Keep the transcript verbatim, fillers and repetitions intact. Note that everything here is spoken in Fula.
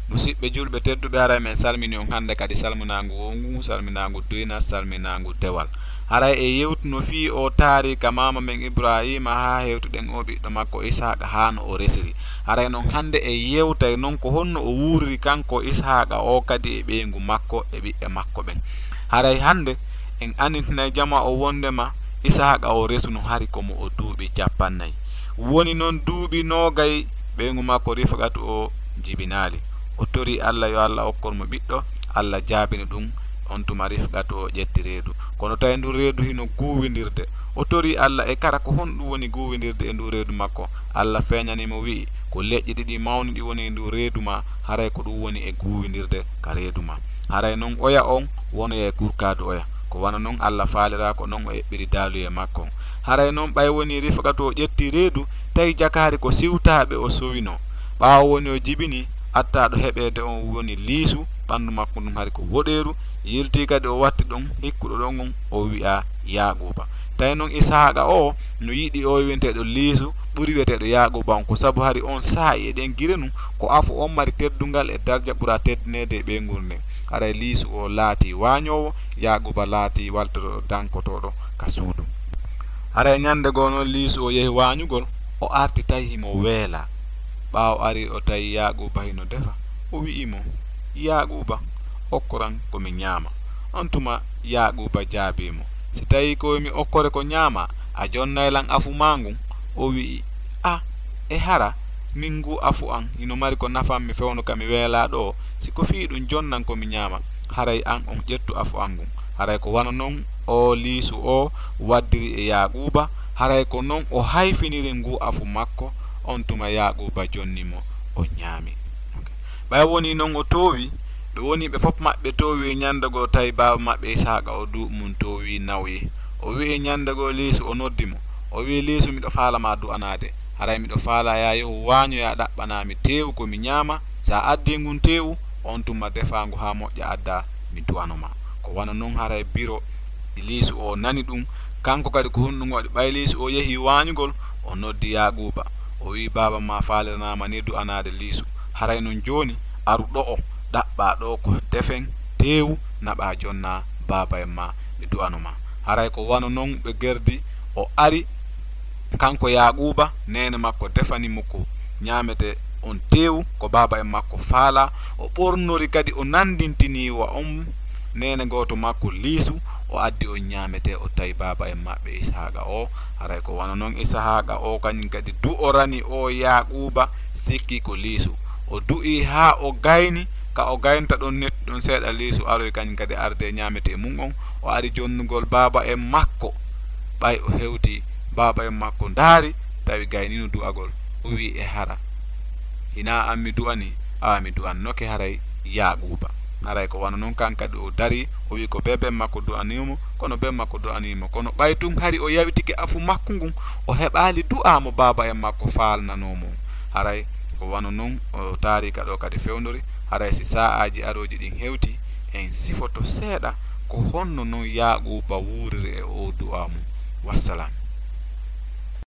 Musiɓɓe julɓe tedduɓe, haray men salmini on hannde kadi salminaangu wowngu, salminaangu duyna, salminaangu dewal. Haray e yewtuno fii o taariika maama men Ibraahiima haa hewtuɗen o ɓiɗɗo makko Ishaaqa haa no o resiri. Haray non hannde e yewtay non ko honno o wuuriri kanko Ishaaqa o kadi e ɓeyngu makko e ɓiɓɓe makko ɓen. Haray hannde en annitinay jama o wonndema Ishaaqa o resuno hari ko mo o duuɓi cappannayi. Woni non duuɓi noogay ɓeyngu makko Rifqatu o jibinaali. O torii Alla yo Alla okkor mo ɓiɗɗo, Alla jaabini ɗum. On tuma Rifqatu o ƴetti reedu, kono tawi ndun reedu hino guuwindirde. O torii Alla e kara ko honɗum woni guuwindirde e ndun reedu makko. Alla feeñani mo wi'i, ko leƴƴi ɗiɗi mawni ɗi woni e ndun reedu maa, haray ko ɗum woni e guuwindirde ka reedu maa. Haray non oya on wonoya e kurkaadu oya. Ko wano non Alla faaliraa ko non o eɓɓiri daaluyee makko on. Haray non ɓay wonii Rifqatu o ƴettii reedu, tawi jakaari ko siwtaaɓe o sowinoo. Ɓaawo woni o jibinii, attaaɗo heɓeede on woni liisu, ɓanndu makko ndun hari ko woɗeeru, yiltii kadi o watti ɗon hikkuɗo ɗon on, o wi'aa Yaaquuba. Tawi non Ishaaqa o no yiɗi o wi'eteeɗo liisu ɓuri wi'eteeɗo Yaaquuba on, ko sabu hari on saa'i e ɗen gire nun ko afo on mari teddungal e darja ɓura teddineede e ɓeyngu nden. Haray liisu o laatii waañoowo, Yaaquuba laatii waltotooɗo dankotooɗo ka suudu. Haray ñande goo non liisu o yehi waañugol, o arti tawi himo weelaa. Ɓaawo ari o tawi Yaaquuba hino defa, o wi'i mo, Yaaquuba, okkoran ko mi ñaama. On tuma Yaaquuba jaabii mo, si tawii ko mi okkore ko ñaamaa, a jonnay lan afu maa ngun? O wi'i, a, e hara, min ngu afu an hino mari ko nafan mi fewndo ka mi weelaa ɗoo, si ko fii ɗum jonnan ko mi ñaama, haray an on ƴettu afu an ngun. Haray ko wano non o liisu o waddiri e Yaaquuba, haray ko non o hayfiniri ngu afu makko, on tuma Yaaquuba jonni mo, o ñaami. Ok. Ɓay wonii non o toowi, ɓe woni ɓe fof maɓɓe toowi ñande goo, tawi baaba maɓɓe Ishaaqa o duuɓi mun toowi nawyi. O wi'i ñande goo liisu, o noddi mo. O wi'i, liisu, miɗo faala ma du'anaade. Haray miɗo faala yaa yehu waañoyaa ɗaɓɓanaa mi teewu ko mi ñaama. Sa addii ngun teewu, on tuma defaa ngu haa moƴƴa addaa, mi du'ano ma. Ko wano non haray biro liisu o nani ɗum. Kanko kadi ko honɗum waɗi? Ɓay liisu o yehi waañugol, o noddi Yaaquuba. O wi'i, baaba ma faaliranaama ni du'anaade liisu. Haray non jooni, aru ɗo'o, ɗaɓɓaa ɗoo ko defen, teewu, naɓaa jonnaa baaba en ma, ɓe du'ano ma. Haray ko wano non ɓe gerdi, o ari, kanko Yaaquuba, neene makko defani mo ko ñaametee on teewu, ko baaba en makko faalaa. O ɓornori kadi, o nanndintini wa on neene gooto makko liisu, o addi on ñaametee, o tawi baaba en maɓɓe Ishaaqa o. Haray ko wano non Ishaaqa o kañum kadi du'orani o Yaaquuba, sikki ko liisu. O du'ii haa o gayni, ka o gaynta ɗon netti ɗon seeɗa, liisu aroyi kañum kadi arde e ñaametee mun on. O ari jonnugol baaba en makko. Ɓay o hewti, baaba en makko ndaari, tawi gaynino du'agol. O wi'i, e hara, hinaa an mi du'anii? Awa mi du'annoke haray Yaaquuba. Haray ko wano non kan kadi o darii, o wi'i ko bebe makko du'anii mo, kono bebe makko du'anii mo. Kono ɓay tun hari o yawitike afu makko ngun, o heɓaali du'aa mo baaba en makko faalnanoo mo. Haray ko wano non o taariika ɗoo kadi fewndori. Haray si saa'aaji arooji ɗin hewtii, en sifoto seeɗa ko honno non Yaaquuba wuuriri e oo du'aa mum. Wassalam.